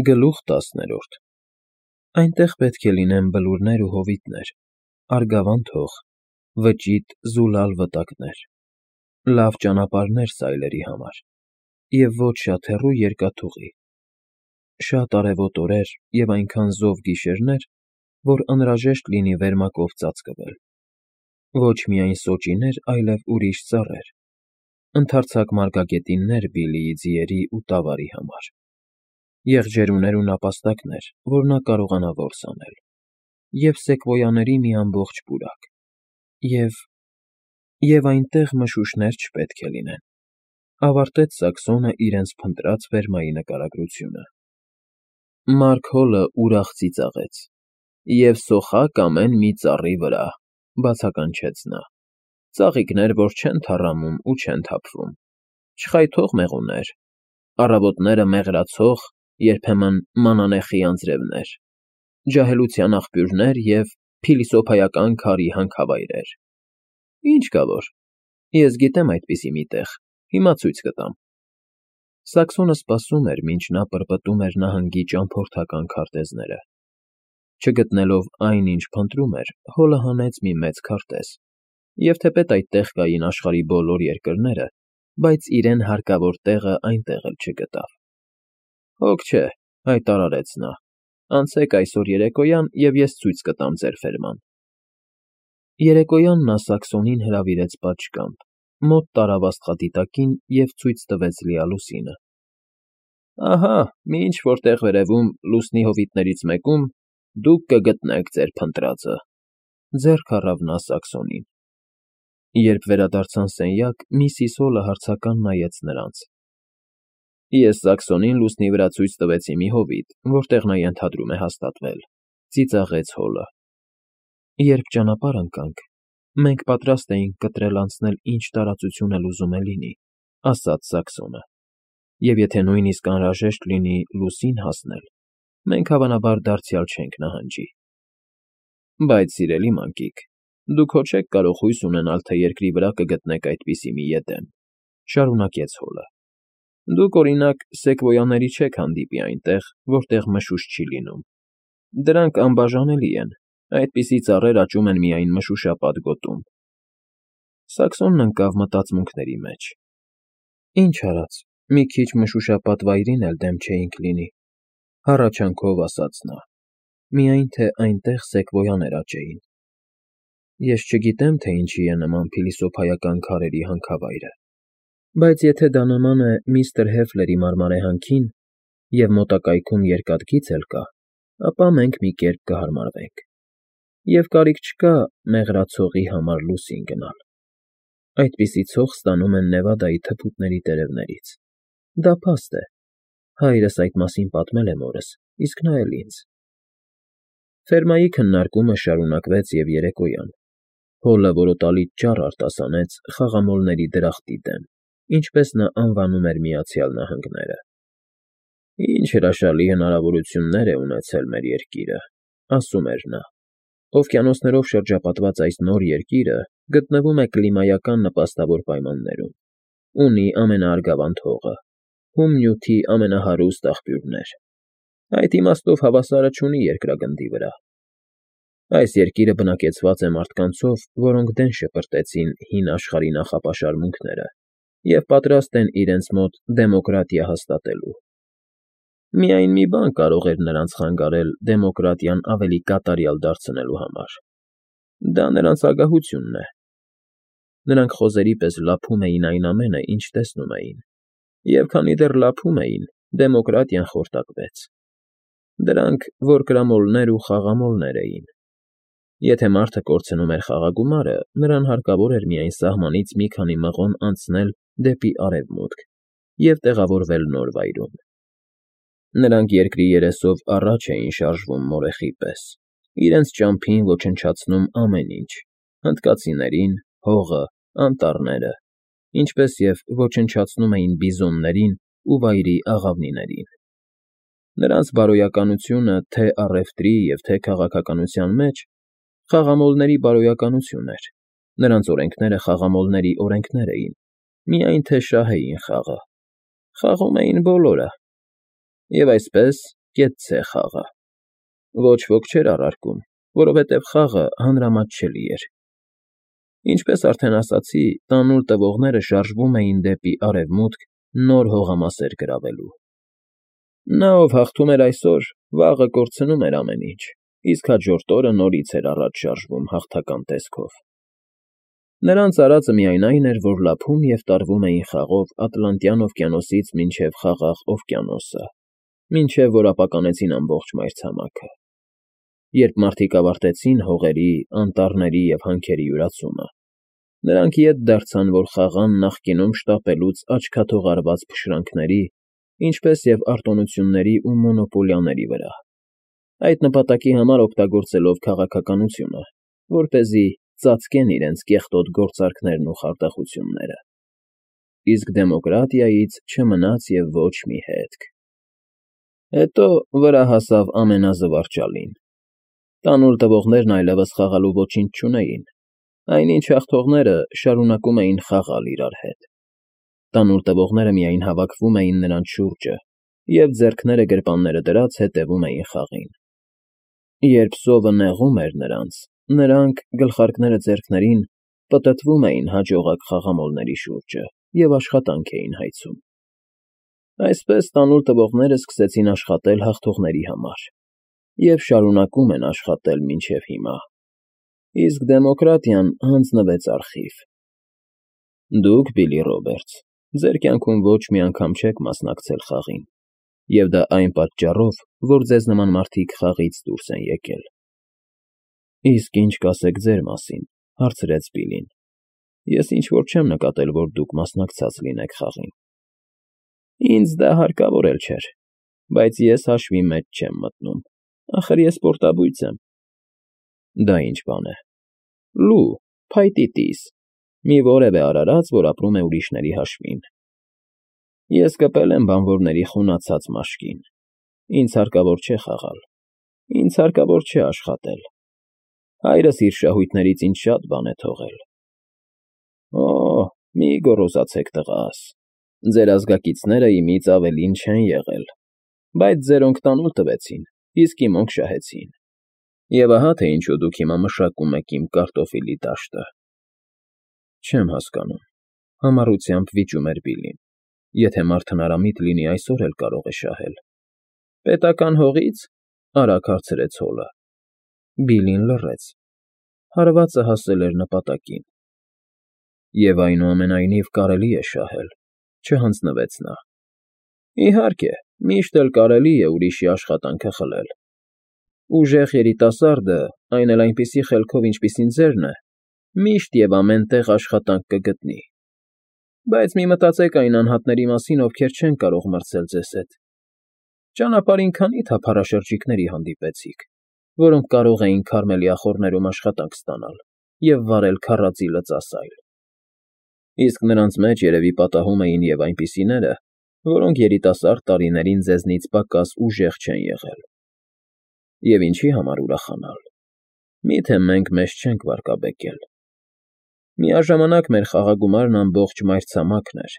Գլուխ 10 Այնտեղ պետք է լինեն բլուրներ ու հովիտներ, արգավանդ հող, վճիտ, զուլալ վտակներ, լավ ճանապարհներ սայլերի համար և ոչ շատ հեռու երկաթուղի, շատ արևոտ օրեր և այնքան զով գիշերներ, որ անհրաժեշտ լինի վերմակով ծածկվել, ոչ միայն սոճիներ, այլև ուրիշ ծառեր, ընդարձակ մարգագետիններ Բիլլիի ձիերի ու տավարի համար, եղջերուներ ու նապաստակներ, որ նա կարողանա որս անել, և սեկվոյաների մի ամբողջ պուրակ, և այնտեղ մշուշներ չպետք է լինեն, ավարտեց Սաքսոնը իրենց փնտրած ֆերմայի նկարագրությունը։ Մարգհոլը ուրախ ծիծաղեց։ Եվ սոխակ ամեն մի ծառի վրա, բացականչեց նա, ծաղիկներ, որ չեն թառամում ու չեն թափվում, չխայթող մեղուներ, առավոտները մեղրացող, երբեմն մանանեխի անձրևներ, ջահելության աղբյուրներ և փիլիսոփայական քարի հանքավայրեր։ Ինչ կա որ, ես գիտեմ այդպիսի մի տեղ, հիմա ցույց կտամ։ Սաքսոնը սպասում էր, մինչ նա պրպտում էր նահանգի ճամփորդական քարտեզները։ Չգտնելով այն, ինչ փնտրում էր, հոլը հանեց մի մեծ քարտեզ, և թեպետ այդտեղ կային աշխարհի բոլոր երկրները, բայց իրեն հարկավոր տեղը այնտեղ էլ չգտավ։ Հոգ չէ, հայտարարեց նա, անցեք այսօր երեկոյան, և ես ցույց կտամ ձեր ֆերման։ Երեկոյան նա Սաքսոնին հրավիրեց պատշգամբ, մոտ տարավ աստղադիտակին և ցույց տվեց լիալուսինը։ Ահա, մինչ որ տեղ վերևում, լուսնի հովիտներից մեկում, դուք կգտնեք ձեր փնտրածը, ձեռք առավ նա Սաքսոնին։ Երբ վերադարձան սենյակ, միսիս Հոլը հարցական նայեց նրանց։ Ես Սաքսոնին լուսնի վրա ցույց տվեցի մի հովիտ, որտեղ նա ենթադրում է հաստատվել, ծիծաղեց Հոլը։ Երբ ճանապարհ ընկանք, մենք պատրաստ էինք կտրել անցնել ինչ տարածություն էլ ուզում է լինի, ասաց Սաքսոնը, և եթե նույնիսկ անհրաժեշտ լինի լուսին հասնել, մենք հավանաբար դարձյալ չենք նահանջի։ Բայց, սիրելի մանկիկ, դուք հո չեք կարող հույս ունենալ, թե երկրի վրա կգտնեք այդպիսի մի եդեմ, շարունակեց Հոլը։ Դուք, օրինակ, սեկվոյաների չեք հանդիպի այնտեղ, որտեղ մշուշ չի լինում։ Դրանք անբաժանելի են, այդպիսի ծառեր աճում են միայն մշուշապատ գոտում։ Սաքսոնն ընկավ մտածմունքների մեջ։ Ինչ արած, մի քիչ մշուշապատ վայրին էլ դեմ չէինք լինի, հառաչանքով ասաց նա, միայն թե այնտեղ սեկվոյաներ աճեին։ Ես չգիտեմ, թե ինչի է նման փիլիսոփայական քարերի հանքավայրը, բայց եթե դա նման է միստր Հեֆլերի մարմարեհանքին, և մոտակայքում երկաթգիծ էլ կա, ապա մենք մի կերպ կհարմարվենք։ Եվ կարիք չկա մեղրացողի համար լուսին գնալ։ Այդպիսի ցող ստանում են Նևադայի թփուտների տերևներից։ Դա փաստ է։ Հայրս այդ մասին պատմել է մորս, իսկ նա էլ ինձ։ Ֆերմայի քննարկումը շարունակվեց և երեկոյան։ Հոլը որոտալից ճառ արտասանեց խաղամոլների դրախտի դեմ, ինչպես նա անվանում էր Միացյալ Նահանգները։ Ինչ հրաշալի հնարավորություններ է ունեցել մեր երկիրը, ասում էր նա։ Օվկիանոսներով շրջապատված այս նոր երկիրը գտնվում է կլիմայական նպաստավոր պայմաններում, ունի ամենաարգավանդ հողը, հում նյութի ամենահարուստ աղբյուրներ։ Այդ իմաստով հավասարը չունի երկրագնդի վրա։ Այս երկիրը բնակեցված է մարդկանցով, որոնք դեն շպրտեցին հին աշխարհի նախապաշարմունքները և պատրաստ են իրենց մոտ դեմոկրատիա հաստատելու։ Միայն մի բան կարող էր նրանց խանգարել դեմոկրատիան ավելի կատարյալ դարձնելու համար։ Դա նրանց ագահությունն է։ Նրանք խոզերի պես լափում էին այն ամենը, ինչ տեսնում էին, և քանի դեռ լափում էին, դեմոկրատիան խորտակվեց։ Դրանք որկրամոլներ ու խաղամոլներ էին։ Եթե մարդը կորցնում էր խաղագումարը, նրան հարկավոր էր միայն սահմանից մի քանի մղոն անցնել դեպի արևմուտք և տեղավորվել նոր վայրում։ Նրանք երկրի երեսով առաջ էին շարժվում մորեխի պես, իրենց ճամփին ոչնչացնում ամեն ինչ՝ հնդկացիներին, հողը, անտառները, ինչպես և ոչնչացնում էին բիզոններին ու վայրի աղավնիներին։ Նրանց բարոյականությունը թե առևտրի և թե քաղաքականության մեջ խաղամոլների բարոյականություն էր, նրանց օրենքները խաղամոլների օրենքներ էին, միայն թե շահեին խաղը։ Խաղում էին բոլորը։ Եվ այսպես, կեցցե խաղը։ Ոչ ոք չէր առարկում, որովհետև խաղը հանրամատչելի էր։ Ինչպես արդեն ասացի, տանուլ տվողները շարժվում էին դեպի արևմուտք նոր հողամասեր գրավելու։ Նա, ով հաղթում էր այսօր, վաղը կորցնում էր ամեն ինչ, իսկ հաջորդ օրը նորից էր առաջ շարժվում հաղթական տեսքով։ Նրանց արածը միայն այն էր, որ լափում և տարվում էին խաղով Ատլանտյան օվկիանոսից մինչև Խաղաղ օվկիանոսը, մինչև որ ապականեցին ամբողջ մայրցամաքը։ Երբ մարդիկ ավարտեցին հողերի, անտառների և հանքերի յուրացումը, նրանք ետ դարձան, որ խաղան նախկինում շտապելուց աչքաթող արված փշրանքների, ինչպես և արտոնությունների ու մոնոպոլիաների վրա, այդ նպատակի համար օգտագործելով քաղաքականությունը, որպեսզի ծածկեն իրենց կեղտոտ գործարքներն ու խարդախությունները։ Իսկ դեմոկրատիայից չմնաց և ոչ մի հետք։ Հետո վրա հասավ ամենազվարճալին։ Տանուլ տվողներն այլևս խաղալու ոչինչ չունեին, այնինչ հաղթողները շարունակում էին խաղալ իրար հետ։ Տանուլ տվողները միայն հավաքվում էին նրանց շուրջը և ձեռքները գրպանները դրած հետևում էին խաղին։ Երբ սովը նեղում էր նրանց, նրանք, գլխարկները ձեռքներին, պտտվում էին հաջողակ խաղամոլների շուրջը և աշխատանք էին հայցում։ Այսպես տանուլ տվողները սկսեցին աշխատել հաղթողների համար և շարունակում են աշխատել մինչև հիմա, իսկ դեմոկրատիան հանձնվեց արխիվ։ Դուք, Բիլլի Ռոբերտս, ձեր կյանքում ոչ մի անգամ չեք մասնակցել խաղին, և դա այն պատճառով, որ ձեզ նման մարդիկ խաղից դուրս են եկել։ Իսկ ինչ կասեք ձեր մասին, հարցրեց Բիլլին։ Ես ինչ֊որ չեմ նկատել, որ դուք մասնակցած լինեք խաղին։ Ինձ դա հարկավոր էլ չէր, բայց ես հաշվի մեջ չեմ մտնում, ախր ես պորտաբույծ եմ։ Դա ինչ բան է։ Լու, փայտի տիս, մի որևէ արարած, որ ապրում է ուրիշների հաշվին։ Ես կպել եմ բանվորների խունացած մաշկին։ Ինձ հարկավոր չէ խաղալ։ Ինձ հարկավոր չէ աշխատել։ Հայրս իր շահույթներից ինձ շատ բան է թողել։ Օ՜, մի գոռոզացեք, տղաս, ձեր ազգակիցները իմից ավելին չեն եղել, բայց ձերոնք տանուլ տվեցին, իսկ իմոնք շահեցին։ Եվ ահա թե ինչու դուք հիմա մշակում եք իմ կարտոֆիլի դաշտը։ Չեմ հասկանում, համառությամբ վիճում էր Բիլլին։ Եթե մարդ հնարամիտ լինի, այսօր էլ կարող է շահել։ Պետական հողից, արագ հարցրեց Հոլը։ Բիլլին լռեց։ Հարվածը հասել էր նպատակին։ Եվ այնուամենայնիվ կարելի է շահել, չհանձնվեց նա։ Իհարկե, միշտ էլ կարելի է ուրիշի աշխատանքը խլել։ Ուժեղ երիտասարդը, այն էլ այնպիսի խելքով, ինչպիսին ձերն է, միշտ և ամեն տեղ աշխատանք կգտնի։ Բայց մի մտածեք այն անհատների մասին, ովքեր չեն կարող մրցել ձեզ հետ։ Ճանապարհին քանի՞ թափառաշրջիկների հանդիպեցիք, որոնք կարող էին Քարմելի ախոռներում աշխատանք ստանալ և վարել քարածի լծասայլ։ Իսկ նրանց մեջ երևի պատահում էին և այնպիսիները, որոնք երիտասարդ տարիներին ձեզնից պակաս ուժեղ չեն եղել։ Եվ ինչի համար ուրախանալ։ Միթե մենք մեզ չենք վարկաբեկել։ Միաժամանակ մեր խաղագումարն ամբողջ մայրցամաքն էր,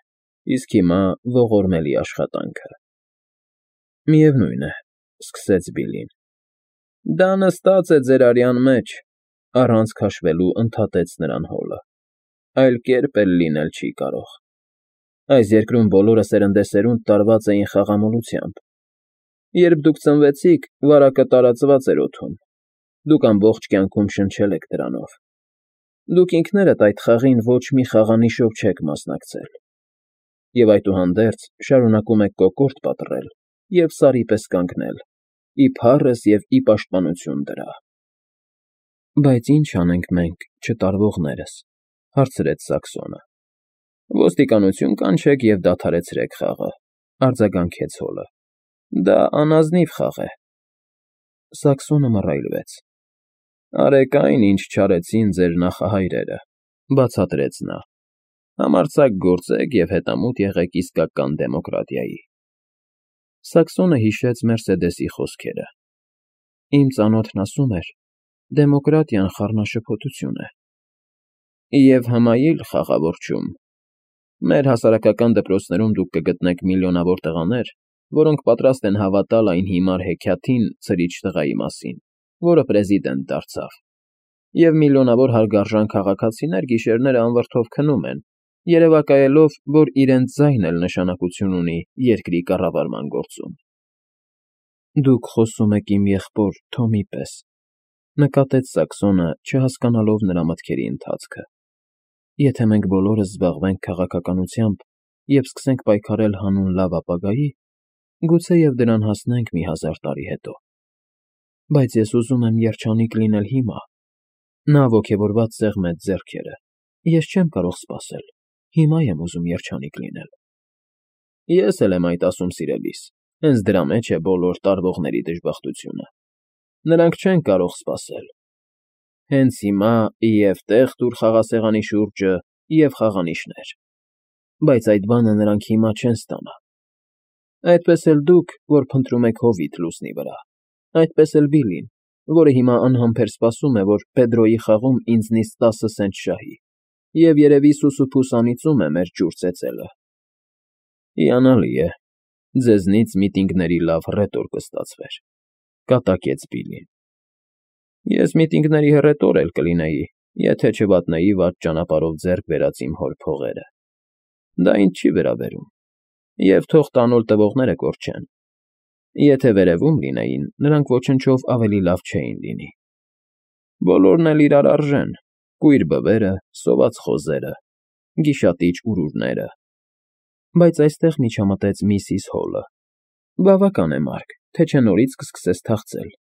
իսկ հիմա ողորմելի աշխատանքը։ Միևնույն է, սկսեց Բիլլին։ Դա նստած է ձեր արյան մեջ, առանց քաշվելու ընդհատեց նրան Հոլը։ Այլ կերպ էլ լինել չի կարող։ Այս երկրում բոլորը սերնդեսերունդ տարված էին խաղամոլությամբ։ Երբ դուք ծնվեցիք, վարակը տարածված էր օդում։ Դուք ամբողջ կյանքում շնչել եք դրանով։ Դուք ինքներդ այդ խաղին ոչ մի խաղանիշով չեք մասնակցել։ Եվ այդուհանդերձ շարունակում եք կոկորդ պատռել և սարի պես կանգնել, ի փառս և ի պաշտպանություն դրա։ Բայց ի՞նչ անենք մենք, չտարվողներս, հարցրեց Սաքսոնը։ Ոստիկանություն կանչեք և դադարեցրեք խաղը, արձագանքեց Հոլը։ Դա անազնիվ խաղ է։ Սաքսոնը մռայլվեց։ Արեք այն, ինչ չարեցին ձեր նախահայրերը, բացատրեց նա։ Համարձակ գործեք և հետամուտ եղեք իսկական դեմոկրատիայի։ Սաքսոնը հիշեց Մերսեդեսի խոսքերը։ Իմ ծանոթն ասում էր. դեմոկրատիան խառնաշփոթություն է։ Եվ հմայիլ խաղաղորճում։ Մեր հասարակական դպրոցներում դուք կգտնեք միլիոնավոր տղաներ, որոնք պատրաստ են հավատալ այն հիմար հեքիաթին ցրիչ տղայի մասին, որը պրեզիդենտ դարձավ, և միլիոնավոր հարգարժան քաղաքացիներ գիշերները անվրդով քնում են, երևակայելով, որ իրենց ձայնն էլ նշանակություն ունի երկրի կառավարման գործում։ Դուք խոսում եք իմ եղբոր Թոմի պես, նկատեց Սաքսոնը, չհասկանալով նրա մտքերի ընթացքը։ Եթե մենք բոլորս զբաղվենք քաղաքականությամբ և սկսենք պայքարել հանուն լավ ապագայի, գուցեև դրան հասնենք մի 1000 տարի հետո։ Բայց ես ուզում եմ երջանիկ լինել հիմա։ Նա ոգևորված սեղմեց ձեռքերը։ Ես չեմ կարող սպասել։ Հիմա եմ ուզում երջանիկ լինել։ Ես էլ եմ այդ ասում, սիրելիս, հենց դրա մեջ է բոլոր տարվողների դժբախտությունը։ Նրանք չեն կարող սպասել։ Հենց հիմա և տեղ տուր խաղասեղանի շուրջը, և խաղանիշներ։ Բայց այդ բանը նրանք հիմա չեն ստանա։ Այդպես էլ դուք, որ փնտրում եք հովիտ լուսնի վրա, այդպես էլ Բիլին, որը հիմա անհամբեր սպասում է, որ Պեդրոյի խաղում ինձնից 10 սենտ շահի, և երևի սուսուփուս անիծում է մեր ջուր ծեծելը։ Հիանալի է, ձեզնից միտինգների լավ հռետոր կստացվեր, կատակեց Բիլին։ Ես միտինգների հռետոր էլ կլինեի, եթե չվատնեի վատ ճանապարհով ձեռք բերած իմ հոր փողերը։ Դա ինձ չի վերաբերում, և թող տանուլ տվողները կորչեն։ Եթե վերևում լինեին, նրանք ոչնչով ավելի լավ չէին լինի։ Բոլորն էլ իրար արժեն, կույր բվերը, սոված խոզերը, գիշատիչ ուրուրները։ Բայց այստեղ միջամտեց միսիս Հոլը։ Բավական է, Մարկ, թե չէ նորից կսկսես թախծել։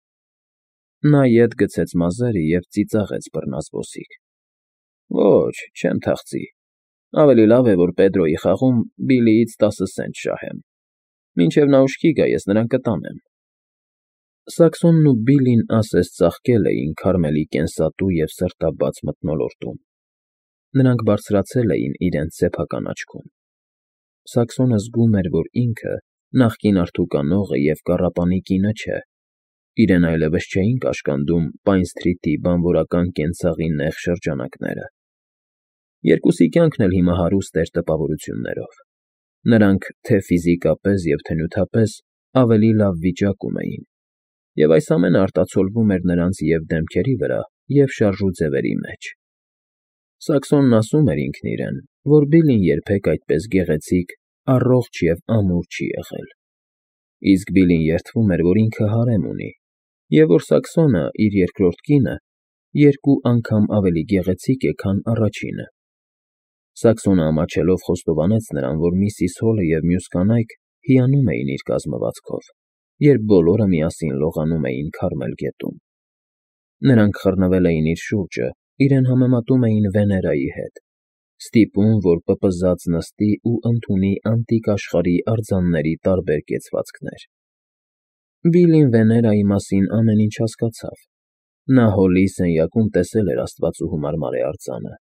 Նա ետ գցեց մազերը և ծիծաղեց բռնազբոսիկ։ Ոչ, չեմ թախծի։ Ավելի լավ է, որ Պեդրոյի խաղում Բիլիից 10 սենտ շահեմ։ Մինչև նա ուշքի գա, ես նրան կտանեմ։ Սաքսոնն ու Բիլին ասես ծաղկել էին Քարմելի կենսատու և սրտաբաց մթնոլորտում։ Նրանք բարձրացել էին իրենց սեփական աչքում։ Սաքսոնը զգում էր, որ ինքը նախկին արդուկանողը և կառապանի կինը չէ։ Իրեն այլևս չէին կաշկանդում Պայն Սթրիթի բանվորական կենցաղի նեղ շրջանակները։ Երկուսի կյանքն էլ հիմա հարուստ էր տպավորություններով։ Նրանք թե՛ ֆիզիկապես և թե՛ նյութապես ավելի լավ վիճակում էին, և այս ամենը արտացոլվում էր նրանց և՛ դեմքերի վրա, և՛ շարժուձևերի մեջ։ Սաքսոնն ասում էր ինքն իրեն, որ Բիլին երբեք այդպես գեղեցիկ, առողջ և ամուր չի եղել։ Իսկ Բիլին երդվում էր, որ ինքը հարեմ ունի, և որ Սաքսոնը, իր երկրորդ կինը, 2 անգամ ավելի գեղեցիկ է, քան առաջինը։ Սաքսոնը ամաչելով խոստովանեց նրան, որ միսիս Հոլը և մյուս կանայք հիանում էին իր կազմվածքով, երբ բոլորը միասին լողանում էին Քարմել գետում։ Նրանք խռնվել էին իր շուրջը, իրեն համեմատում էին Վեներայի հետ, ստիպում, որ պպզած նստի ու ընդունի անտիկ աշխարհի արձանների տարբեր կեցվածքներ։ Բիլին Վեներայի մասին ամեն ինչ հասկացավ։ Նա Հոլի սենյակում տեսել էր աստվածուհու մարմարե արձանը,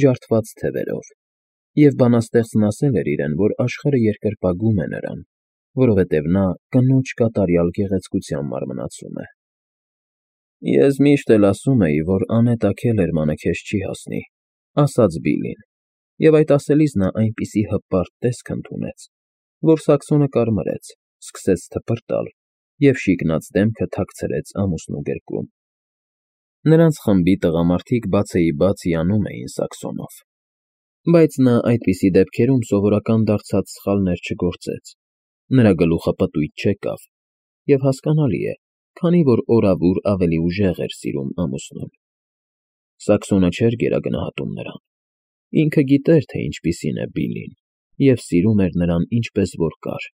ջարդված թևերով, և բանաստեղծն ասել էր իրեն, որ աշխարհը երկրպագում է նրան, որովհետև նա կնոջ կատարյալ գեղեցկությամբ մարմնացում է։ Ես միշտ էլ ասում էի, որ անետը Քելերմանը քեզ չի հասնի, ասաց Բիլին, և այդ ասելիս նա այնպիսի հպարտ տեսք ընդունեց, որ Սաքսոնը կարմրեց, սկսեց թպրտալ և շիկնած դեմքը թաքցրեց ամուսնու գրկում։ Նրանց խմբի տղամարդիկ բացեիբաց հիանում էին Սաքսոնով։ Բայց նա այդպիսի դեպքերում սովորական դարձած սխալներ չգործեց։ Նրա գլուխը պտույտ չեկավ, և հասկանալի է, քանի որ օրավուր ավելի ուժեղ էր սիրում ամուսնուն։ Սաքսոնը չէր գերագնահատում նրան։ Ինքը գիտեր, թե ինչպիսին է Բիլին, և սիրում էր նրան ինչպես որ կար։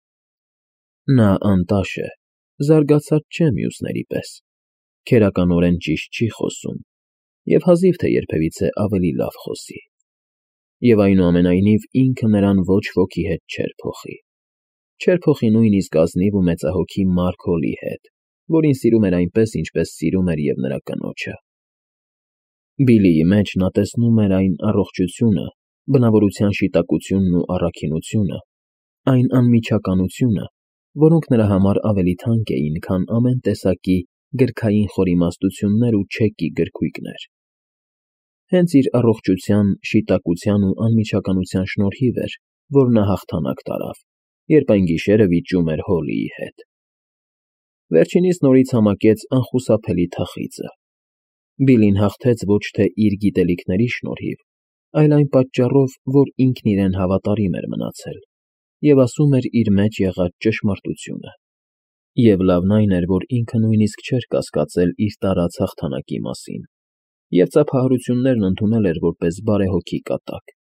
Նա անտաշ է, զարգացած չէ մյուսների պես, քերականորեն ճիշտ չի խոսում և հազիվ թե երբևիցե ավելի լավ խոսի։ Եվ այնուամենայնիվ ինքը նրան ոչ ոքի հետ չէր փոխի։ Չէր փոխի նույնիսկ ազնիվ ու մեծահոգի Մարք Հոլի հետ, որին սիրում էր այնպես, ինչպես սիրում էր և նրա կնոջը։ Բիլիի մեջ նա տեսնում էր այն առողջությունը, բնավորության շիտակությունն ու առաքինությունը, այն անմիջականությունը, որոնք նրա համար ավելի թանկ էին, քան ամեն տեսակի գրքային խորիմաստություններ ու չեկի գրքույկներ։ Հենց իր առողջության, շիտակության ու անմիջականության շնորհիվ էր, որ նա հաղթանակ տարավ երբ այն գիշերը վիճում էր Հոլիի հետ։ Վերջինիս նորից համակեց անխուսափելի թախիծը։ Բիլին հաղթեց ոչ թե իր գիտելիքների շնորհիվ, այլ այն պատճառով, որ ինքն իրեն հավատարիմ էր մնացել և ասում էր իր մեջ եղած ճշմարտությունը։ Եվ լավն այն էր, որ ինքը նույնիսկ չէր կասկածել իր տարած հաղթանակի մասին և ծափահարություններն ընդունել էր որպես բարեհոգի կատակ։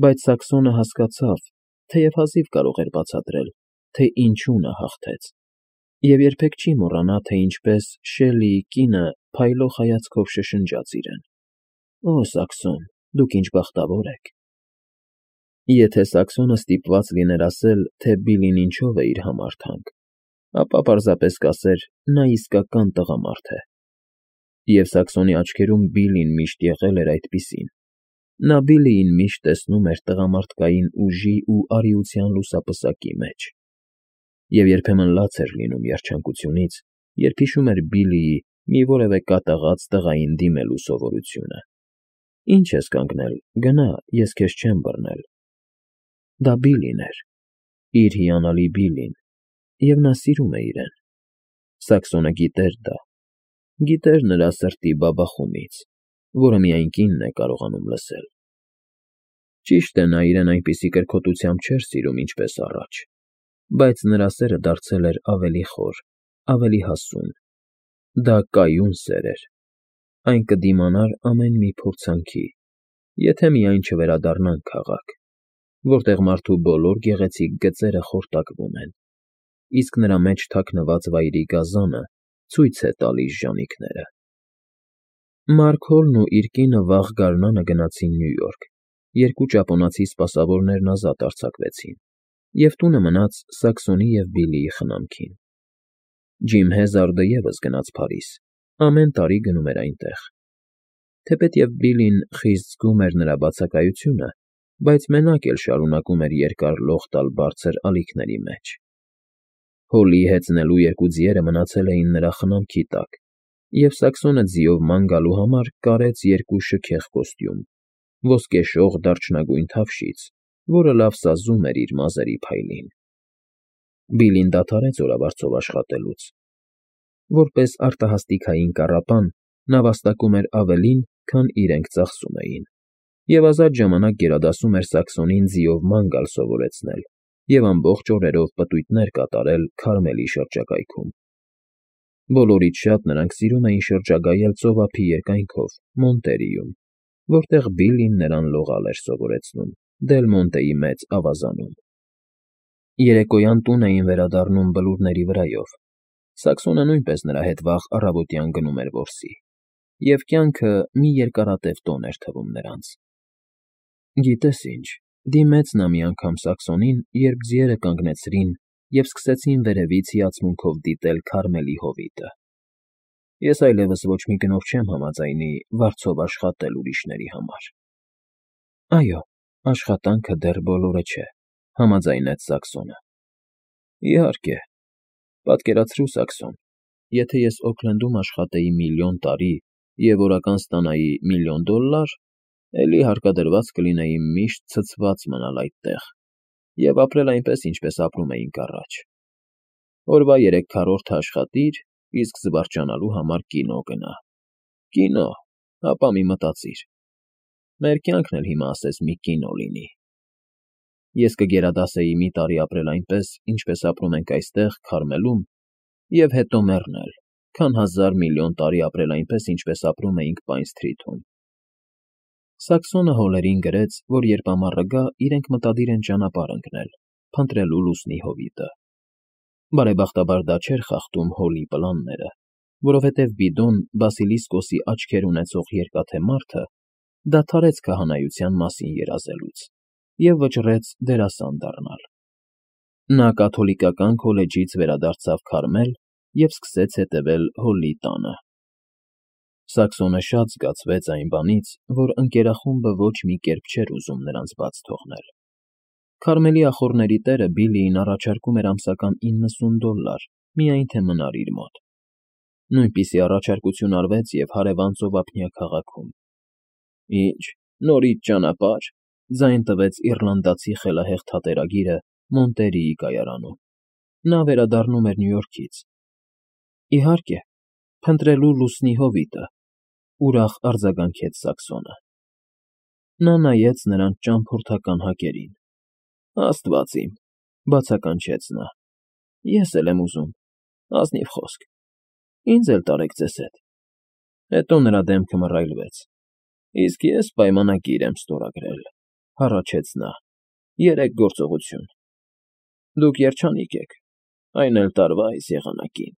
Բայց Սաքսոնը հասկացավ, թեև հազիվ կարող էր բացատրել, թե ինչու նա հաղթեց, և երբեք չի մոռանա, թե ինչպես Շելլիի կինը փայլող հայացքով շշնջաց իրեն. «Օ, Սաքսոն, դուք ինչ բախտավոր եք»։ Եթե Սաքսոնը ստիպված լիներ ասել, թե Բիլին ինչով է իր համար թանկ, ապա պարզապես կասեր. նա իսկական տղամարդ է։ Եվ Սաքսոնի աչքերում Բիլին միշտ եղել էր այդպիսին։ Նա Բիլիին միշտ տեսնում էր տղամարդկային ուժի ու արիության լուսապսակի մեջ։ Եվ երբեմն լաց էր լինում երջանկությունից, երբ հիշում էր Բիլիի մի որևէ կատաղած տղային դիմելու սովորությունը։ «Ինչ ես կանգնել, գնա, ես քեզ չեմ բռնել»։ Դա Բիլին էր, իր հիանալի Բիլին, և նա սիրում է իրեն։ Սաքսոնը գիտեր դա, գիտեր նրա սրտի բաբախումից, որը միայն կինն է կարողանում լսել։ Ճիշտ է, նա իրեն այնպիսի կրքոտությամբ չէր սիրում, ինչպես առաջ, բայց նրա սերը դարձել էր ավելի խոր, ավելի հասուն։ Դա կայուն սեր էր։ Այն կդիմանար ամեն մի փորձանքի, եթե միայն չվերադառնան քաղաք, որտեղ մարդու բոլոր գեղեցիկ գծերը խորտակվում են, իսկ նրա մեջ թաքնված վայրի գազանը ցույց է տալիս ժանիքները։ Մարք Հոլն ու իր կինը վաղ գարնանը գնացին Նյու Յորք, երկու ճապոնացի սպասավորներն ազատ արձակվեցին, և տունը մնաց Սաքսոնի և Բիլիի խնամքին։ Ջիմ Հեզարդը ևս գնաց Փարիզ, ամեն տարի գնում էր այնտեղ։ Թեպետև Բիլին խիստ զգում էր նրա բացակայությունը, բայց մենակ էլ շարունակում էր երկար լող տալ բարձր ալիքների մեջ։ Հոլիի հեծնելու երկու ձիերը մնացել էին նրա խնամքի տակ, և Սաքսոնը ձիով ման գալու համար կարեց երկու շքեղ կոստյում, ոսկեշող դարչնագույն թավշից, որը լավ սազում էր իր մազերի փայլին։ Բիլին դադարեց օրավարձով աշխատելուց։ Որպես արտահասթիկային կառապան, նա վաստակում էր ավելին, քան իրենք ծախսում էին, և ազատ ժամանակ գերադասում էր Սաքսոնին ձիով ման գալ սովորեցնել և ամբողջ օրերով պտույտներ կատարել Քարմելի շրջակայքում։ Բոլորից շատ նրանք սիրում էին շրջագայել ծովափի երկայնքով Մոնտերիում, որտեղ Բիլին նրան լողալ էր սովորեցնում Դել Մոնտեի մեծ ավազանում։ Երեկոյան տուն էին վերադառնում բլուրների վրայով։ Սաքսոնը նույնպես նրա հետ վաղ առավոտյան գնում էր որսի, և կյանքը մի երկարատև տոն էր թվում նրանց։ Գիտես ինչ, դիմեց նա մի անգամ Սաքսոնին, երբ ձիերը կանգնեցրին և սկսեցին վերևից հիացմունքով դիտել Քարմելի հովիտը։ Ես այլևս ոչ մի գնով չեմ համաձայնի վարձով աշխատել ուրիշների համար։ Այո, աշխատանքը դեռ բոլորը չէ, համաձայնեց Սաքսոնը։ Իհարկե, պատկերացրու, Սաքսոն, եթե ես Օքլենդում աշխատեի միլիոն տարի և օրական ստանայի $1,000,000, էլի հարկադրված կլինեի միշտ ցցված մնալ այդտեղ և ապրել այնպես, ինչպես ապրում էինք առաջ. օրվա 3/4-ը աշխատիր, իսկ զվարճանալու համար կինո գնա։ Կինո, հապա մի մտածիր. մեր կյանքն էլ հիմա ասես մի կինո լինի։ Ես կգերադասեի մի տարի ապրել այնպես, ինչպես ապրում ենք այստեղ, Քարմելում, և հետո մեռնել, քան 1000 միլիոն տարի ապրել այնպես, ինչպես ապրում էինք Պայն Սթրիթում։ Սաքսոնը հոլերին գրեց, որ երբ ամառը գա, իրենք մտադիր են ճանապարհ ընկնել, փնտրելու լուսնի հովիտը։ Բարեբախտաբար դա չէր խախտում Հոլի պլանները, որովհետև Բիդոն, Բասիլիսկոսի աչքեր ունեցող երկաթե մարդը, դադարեց քահանայության մասին երազելուց և վճռեց դերասան դառնալ։ Նա կաթոլիկական քոլեջից վերադարձավ Քարմել և սկսեց հետևել Հոլի տանը։ Սաքսոնը շատ զգացվեց այն բանից, որ ընկերախումբը ոչ մի կերպ չէր ուզում նրանց բաց թողնել։ Քարմելի ախոռների տերը Բիլիին առաջարկում էր ամսական $90, միայն թե մնար իր մոտ։ Նույնպիսի առաջարկություն արվեց և հարևան ծովափնյա քաղաքում։ Ի՞նչ, նորից ճանապարհ,֊ ձայն տվեց իռլանդացի խելահեղ թատերագիրը, Մոնտերիի կայարանում։ Նա վերադառնում էր Նյու Յորքից։ Իհարկե, փնտրելու լուսնի հովիտը,֊ ուրախ արձագանքեց Սակսոնը։ Նա նայեց նրանց ճամփորդական հակերին։ Աստված իմ,֊ բացականչեց նա,֊ ես էլ եմ ուզում, ազնիվ խոսք, ինձ էլ տարեք ձեզ հետ… Հետո նրա դեմքը մռայլվեց։ Իսկ ես պայմանագիր եմ ստորագրել,֊ հառաչեց նա,֊ 3 գործողություն… Դուք երջանիկ եք, այն էլ տարվա այս եղանակին։